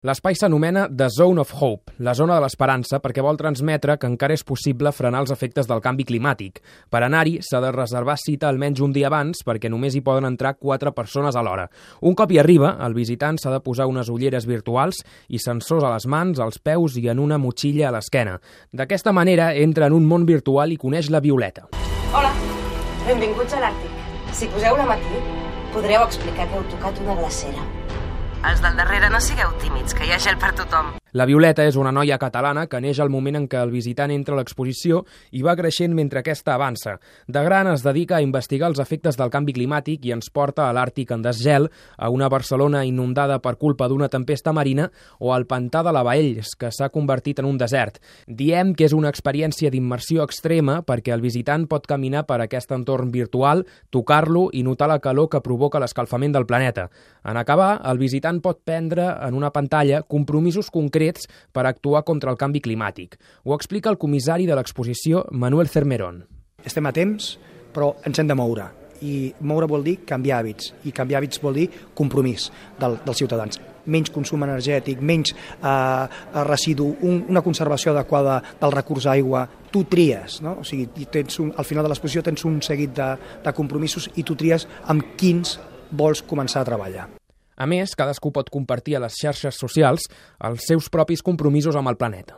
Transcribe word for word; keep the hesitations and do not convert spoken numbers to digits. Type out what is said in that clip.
L'espai s'anomena The Zone of Hope, la zona de l'esperança, perquè vol transmetre que encara és possible frenar els efectes del canvi climàtic. Per anar-hi s'ha de reservar cita almenys un dia abans perquè només hi poden entrar quatre persones alhora. Un cop hi arriba, el visitant s'ha de posar unes ulleres virtuals i sensors a les mans, als peus i en una motxilla a l'esquena. D'aquesta manera entra en un món virtual i coneix la Violeta. Hola, benvinguts a l'Àrtic. Si poseu la aquí, podreu explicar que heu tocat una glacera. Els del darrere no sigueu tímids, que hi ha gel per tothom. La Violeta és una noia catalana que neix al moment en què el visitant entra a l'exposició i va creixent mentre aquesta avança. De gran es dedica a investigar els efectes del canvi climàtic i ens porta a l'Àrtic en desgel, a una Barcelona inundada per culpa d'una tempesta marina o al pantà de la Baells, que s'ha convertit en un desert. Diem que és una experiència d'immersió extrema perquè el visitant pot caminar per aquest entorn virtual, tocar-lo i notar la calor que provoca l'escalfament del planeta. En acabar, el visitant pot prendre en una pantalla compromisos concrets per actuar contra el canvi climàtic. Ho explica el comissari de l'exposició, Manuel Cermerón. Estem a temps, però ens hem de moure. I moure vol dir canviar hàbits. I canviar hàbits vol dir compromís del, dels ciutadans. Menys consum energètic, menys eh, residu, un, una conservació adequada del recurs aigua. Tu tries, no? O sigui, tens un, al final de l'exposició tens un seguit de, de compromisos i tu tries amb quins vols començar a treballar. A més, cadascú pot compartir a les xarxes socials els seus propis compromisos amb el planeta.